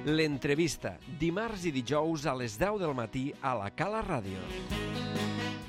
L'entrevista, dimarts i dijous a les 10 del matí a la Cala Ràdio.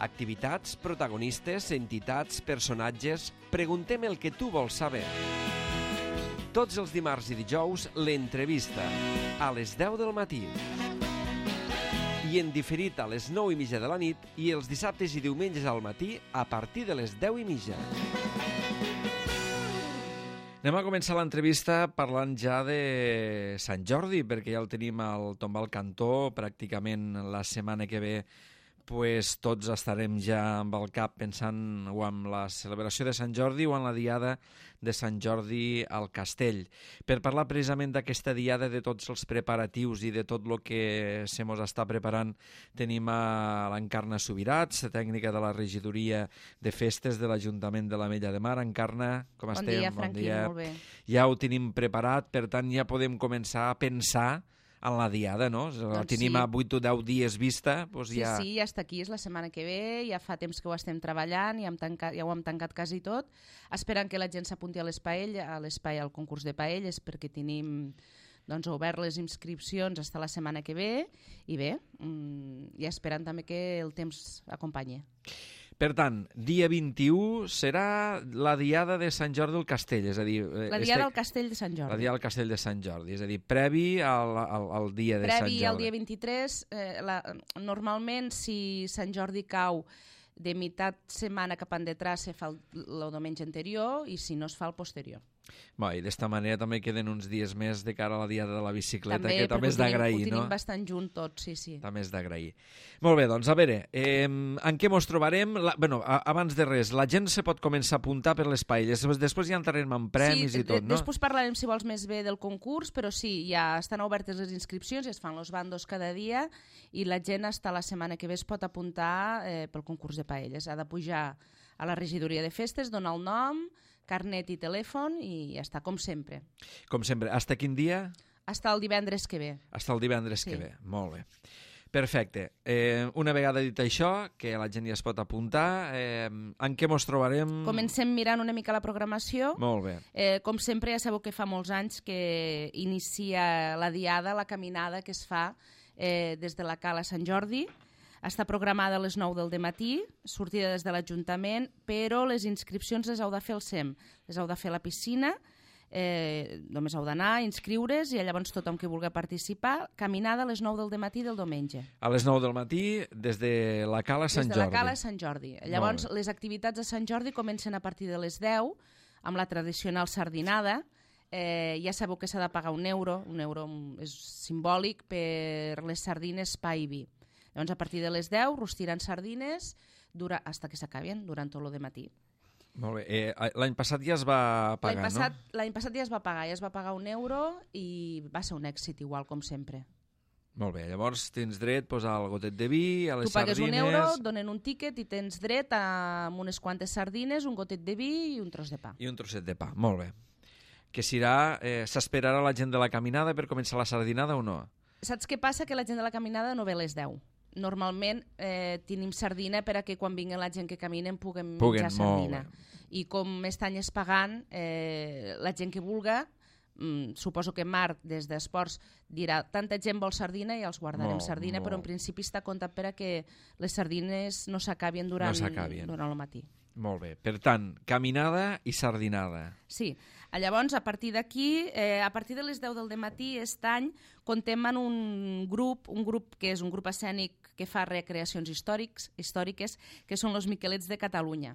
Activitats, protagonistes, entitats, personatges... Preguntem el que tu vols saber. Tots els dimarts i dijous, l'entrevista, a les 10 del matí. I en diferit a les 9:30 de la nit i els dissabtes i diumenges al matí a partir de les 10:30. Anem a començar l'entrevista parlant ja de Sant Jordi, perquè ja el tenim al tombal cantó. Pràcticament la setmana que ve pues, tots estarem ja amb el cap pensant o en la celebració de Sant Jordi o en la diada de Sant Jordi al Castell. Per parlar precisament d'aquesta diada, de tots els preparatius i de tot el que se mos està preparant, tenim a l'Encarna Subirats, tècnica de la regidoria de festes de l'Ajuntament de l'Ametlla de Mar. Encarna, com estem? Bon dia, Franqui, molt bé. Ja ho tenim preparat, per tant ja podem començar a pensar en la diada, no? Doncs tenim a 8 o 10 dies vista. Doncs ja... Sí, ja està aquí, és la setmana que ve, ja fa temps que ho estem treballant, ja ho hem tancat quasi tot, esperant que la gent s'apunti a l'espai, al concurs de paelles, perquè tenim obert les inscripcions fins la setmana que ve, i bé, ja esperant també que el temps acompanyi. Per tant, dia 21 serà la diada de Sant Jordi al Castell, és a dir... La diada del Castell de Sant Jordi. La diada del Castell de Sant Jordi, és a dir, previ al dia de Sant Jordi. Previ al dia 23, normalment si Sant Jordi cau de meitat setmana cap endetrás se fa el diumenge anterior i si no es fa el posterior. Bé, i d'esta manera també queden uns dies més de cara a la diada de la bicicleta, també, que també és d'agrair, no? Ho tenim bastant junt tots, sí. També és d'agrair. Molt bé, doncs, a veure, en què mos trobarem? Abans de res, la gent se pot començar a apuntar per les paelles, després ja entrarem en premis i tot, no? Després parlarem, si vols, més bé del concurs, però sí, ja estan obertes les inscripcions, ja es fan els bandos cada dia, i la gent hasta la setmana que ve es pot apuntar pel concurs de paelles. Ha de pujar a la regidoria de festes, donar el nom, carnet i telèfon i ja està, com sempre. Com sempre. Hasta quin dia? Hasta el divendres que ve. Hasta el divendres que ve, molt bé. Perfecte. Una vegada dit això, que la gent ja es pot apuntar, en què mos trobarem? Comencem mirant una mica la programació. Molt bé. Com sempre, ja sabeu que fa molts anys que inicia la diada, la caminada que es fa des de la Cala Sant Jordi. Està programada a les 9 del matí, sortida des de l'Ajuntament, però les inscripcions les heu de fer al SEM, les heu de fer a la piscina, només heu d'anar, inscriure's i llavors tothom que vulgui participar, caminada a les 9 del matí del diumenge. A les 9 del matí des de la Cala Sant Jordi. Des de la Cala Sant Jordi. Llavors les activitats de Sant Jordi comencen a partir de les 10 amb la tradicional sardinada. Ja sabeu que s'ha de pagar un euro és simbòlic per les sardines pa i vi. Llavors, a partir de les 10, rostiran sardines fins que s'acaben, durant tot el matí. Molt bé. L'any passat ja es va pagar, no? L'any passat ja es va pagar un euro i va ser un èxit igual, com sempre. Molt bé, llavors tens dret al gotet de vi, a les sardines... Tu pagues un euro, et donen un tíquet i tens dret a unes quantes sardines, un gotet de vi i un tros de pa. I un trosset de pa, molt bé. Que s'esperarà la gent de la caminada per començar la sardinada o no? Saps què passa? Que la gent de la caminada no ve a les 10. Normalment tenim sardina per a que quan vingui la gent que caminen puguem menjar sardina. I com aquest any és pagant, la gent que vulga, suposo que Marc des d'Esports dirà tanta gent vol sardina i els guardarem sardina, però en principi està comptat per a que les sardines no s'acabin durant el matí. Molt bé. Per tant, caminada i sardinada. Sí. Llavors, a partir d'aquí, a partir de les 10 del matí, aquest any, comptem en un grup que és un grup escènic que fa recreacions històriques, que són els Miquelets de Catalunya.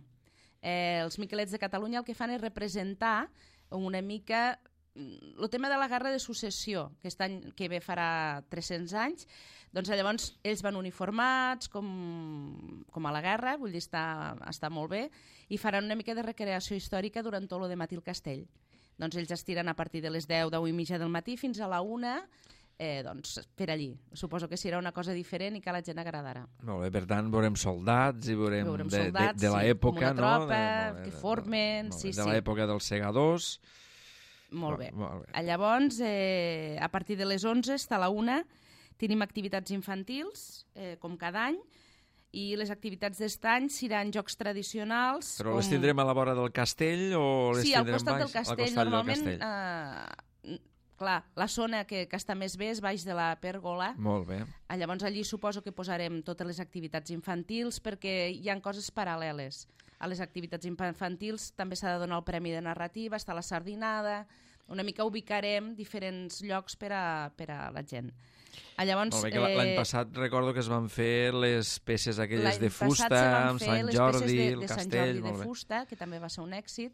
Els Miquelets de Catalunya el que fan és representar una mica el tema de la Guerra de Successió, que aquest any que ve farà 300 anys, doncs llavors ells van uniformats com a la guerra, vull dir, està molt bé, i faran una mica de recreació històrica durant tot el matí al castell. Doncs ells estiren a partir de les 10, 10:30 del matí fins a la 1, doncs per allí. Suposo que serà una cosa diferent i que a la gent agradarà. Molt bé, per tant, veurem soldats i veurem de l'època, com una tropa, que formen... De l'època dels segadors... Molt bé. Llavors, a partir de les 11, fins a la 1, tenim activitats infantils, com cada any, i les activitats d'est any seran jocs tradicionals... Però les tindrem a la vora del castell o les tindrem baix? Sí, al costat del castell. Normalment, clar, la zona que està més bé és baix de la pèrgola. Molt bé. Llavors allí suposo que posarem totes les activitats infantils perquè hi ha coses paral·leles. A les activitats infantils també s'ha de donar el premi de narrativa, està la sardinada, una mica ubicarem diferents llocs per a la gent. Llavors, molt bé, que l'any passat recordo que es van fer les peces aquelles de fusta, amb Sant Jordi, el castell... Sant Jordi de fusta, que també va ser un èxit,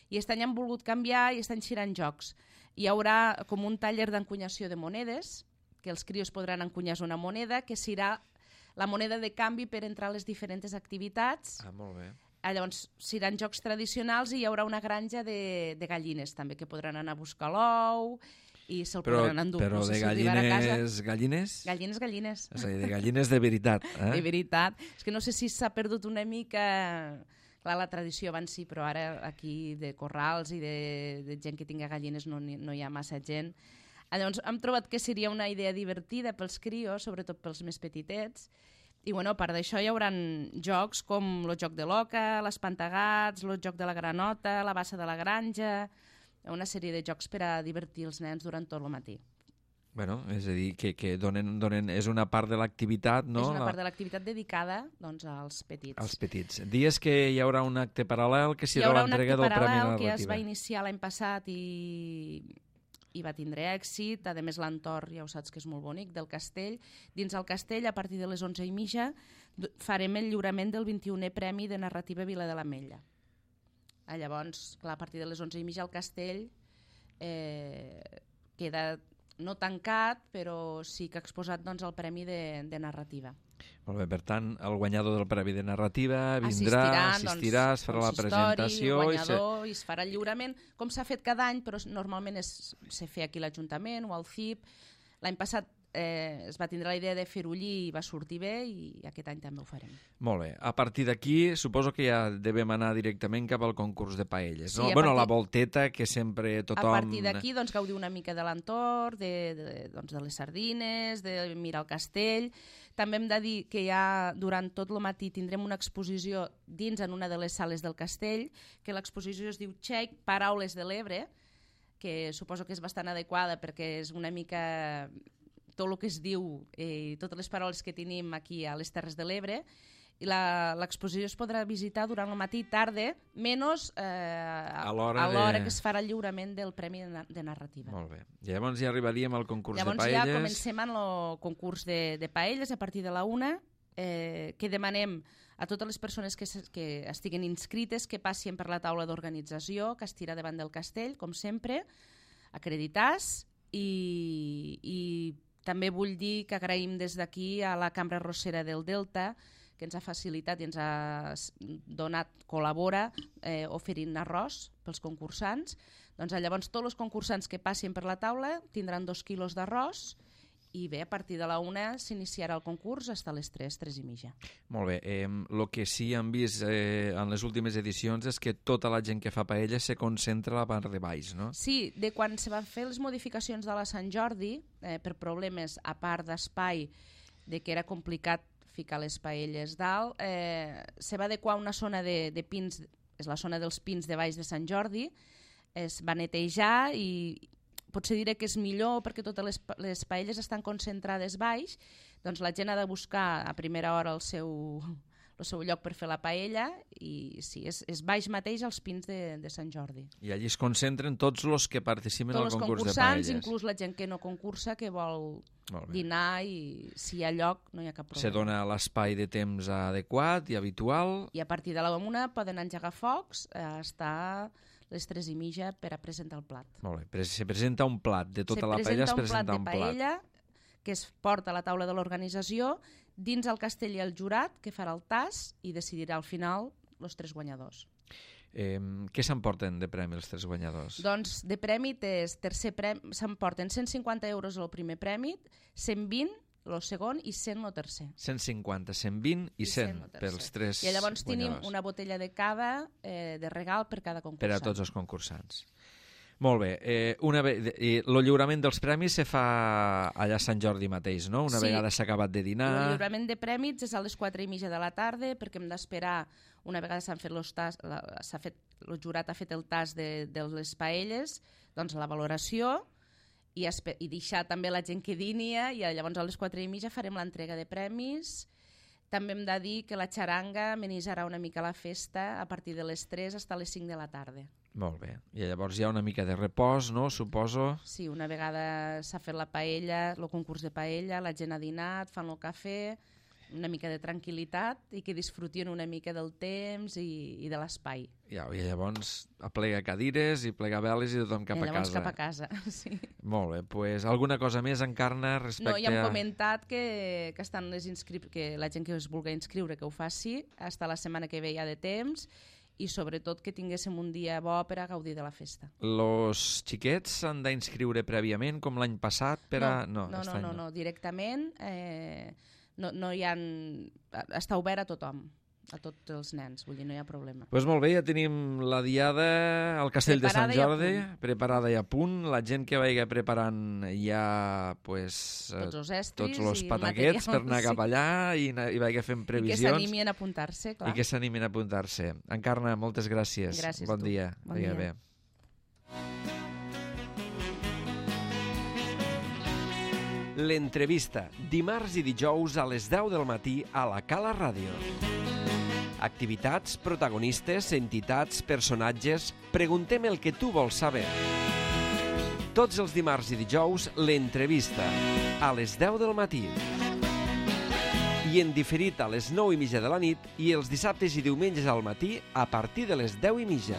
i aquest any han volgut canviar i estan girant jocs. Hi haurà com un taller d'encunyació de monedes, que els crios podran encunyar una moneda, que serà la moneda de canvi per entrar a les diferents activitats. Molt bé. Llavors, seran jocs tradicionals i hi haurà una granja de gallines també, que podran anar a buscar l'ou i se'l podran endur. Però no sé de si gallines... Gallines. És a dir, de gallines de veritat. De veritat. És que no sé si s'ha perdut una mica... Clar, la tradició abans sí, però ara aquí de corrals i de gent que tinga gallines no hi ha massa gent. Llavors, hem trobat que seria una idea divertida pels crios, sobretot pels més petitets. I bueno, a part d'això hi haurà jocs com el joc de l'oca, l'espantagats, el joc de la granota, la bassa de la granja, una sèrie de jocs per a divertir els nens durant tot el matí. Bueno, és a dir, que donen, és una part de l'activitat, no? És una part de l'activitat dedicada doncs, als petits. Als petits. Dies que hi haurà un acte paral·lel que serà l'entrega del Premi Narrativa. Hi haurà un acte paral·lel que es va iniciar l'any passat i va tindre èxit. A més, l'entorn, ja ho saps que és molt bonic, del castell. Dins el castell, a partir de les 11:30, farem el lliurament del 21è Premi de Narrativa Vila de l'Ametlla. Llavors, clar, a partir de les 11:30 el castell queda no tancat, però sí que ha exposat doncs, el Premi de Narrativa. Molt bé, per tant, el guanyador del Premi de Narrativa assistirà, es farà la presentació... I es farà el lliurament, com s'ha fet cada any, però normalment se fa aquí a l'Ajuntament o al CIP. L'any passat es va tindre la idea de fer-ho allí i va sortir bé, i aquest any també ho farem. Molt bé. A partir d'aquí, suposo que ja devem anar directament cap al concurs de paelles, no? Sí, Bueno, la volteta, que sempre tothom... A partir d'aquí, doncs, gaudir una mica de l'entorn, de les sardines, de mirar el castell. També hem de dir que ja durant tot el matí tindrem una exposició dins en una de les sales del castell, que l'exposició es diu Txec, Paraules de l'Ebre, que suposo que és bastant adequada perquè és una mica tot el que es diu i totes les paraules que tenim aquí a les Terres de l'Ebre. I l'exposició es podrà visitar durant el matí i tarda, menys a l'hora que es farà el lliurament del Premi de Narrativa. Molt bé. Llavors ja arribaríem al concurs de paelles. Llavors ja comencem amb el concurs de paelles a partir de la 1, que demanem a totes les persones que estiguen inscrites que passin per la taula d'organització, que estirà davant del castell, com sempre, acreditats, i també vull dir que agraïm des d'aquí a la Cambra Arrossera del Delta, que ens ha facilitat i ens ha donat, col·labora, oferint arròs pels concursants. Doncs llavors tots els concursants que passin per la taula tindran 2 quilos d'arròs i bé, a partir de la 1 s'iniciarà el concurs fins a les 3:30. Molt bé. El que sí hem vist en les últimes edicions és que tota la gent que fa paella se concentra a la part de baix, no? Sí, de quan se van fer les modificacions de la Sant Jordi, per problemes a part d'espai, de que era complicat ficar les paelles dalt, se va adequar una zona de pins, és la zona dels pins de baix de Sant Jordi, es va netejar i potser diré que és millor perquè totes les paelles estan concentrades baix, doncs la gent ha de buscar a primera hora el seu lloc per fer la paella i sí, és baix mateix als pins de Sant Jordi. I allí es concentren tots els que participen al concurs de paelles. Tots els concursants, inclús la gent que no concursa, que vol dinar, i si hi ha lloc no hi ha cap problema. Se dona l'espai de temps adequat i habitual. I a partir de la 1 poden engegar focs, estar les 3:30 per a presentar el plat. Molt bé, se presenta un plat de tota la paella, es presenta un plat. De paella que es porta a la taula de l'organització, dins el castell hi ha el jurat que farà el tast i decidirà al final els 3 guanyadors. Què s'emporten de premi els 3 guanyadors? Doncs de premi s'emporten 150 euros el primer premi, 120 el segon i 100 el tercer. 150, 120 i 100 pels 3 guanyadors. I llavors tenim una botella de cava de regal per cada concursant. Per a tots els concursants. Molt bé. El lliurament dels premis se fa allà a Sant Jordi mateix, no? Una vegada s'ha acabat de dinar... El lliurament de premis és a les 4:30 de la tarda perquè hem d'esperar, una vegada s'han fet els tasts, el jurat ha fet el tast de les paelles, doncs la valoració, i deixar també la gent que dinia, i llavors a les 4:30 farem l'entrega de premis. També hem de dir que la xaranga amenitzarà una mica la festa a partir de les 3 fins a les 5 de la tarda. Molt bé. I llavors hi ha una mica de repòs, no? Suposo. Sí, una vegada s'ha fet la paella, el concurs de paella, la gent ha dinat, fan el cafè, una mica de tranquil·litat i que disfrutin una mica del temps i de l'espai. I llavors aplega cadires i plega veles i tothom cap a casa. Llavors cap a casa, sí. Molt bé, doncs alguna cosa més, Encarna, respecte a... No, ja hem comentat que estan que la gent que es vulgui inscriure que ho faci, fins la setmana que ve ja de temps, i sobretot que tinguéssim un dia bo per a gaudir de la festa. Los xiquets s'han d'inscriure prèviament, com l'any passat? No, directament no hi ha... Està obert a tothom, a tots els nens, vull dir, no hi ha problema. Doncs molt bé, ja tenim la diada al Castell de Sant Jordi, preparada i a punt. La gent que vagi preparant ja tots els estris, tots els pataquets per anar cap allà i vagi fent previsions. I que s'animin a apuntar-se, clar. I que s'animin a apuntar-se. Encarna, moltes gràcies. Gràcies bon dia. Bon dia. Bé. L'entrevista, dimarts i dijous a les 10 del matí a la Cala Ràdio. Activitats, protagonistes, entitats, personatges... Preguntem el que tu vols saber. Tots els dimarts i dijous, l'entrevista, a les 10 del matí. I en diferit a les 9:30 de la nit i els dissabtes i diumenges al matí a partir de les 10:30.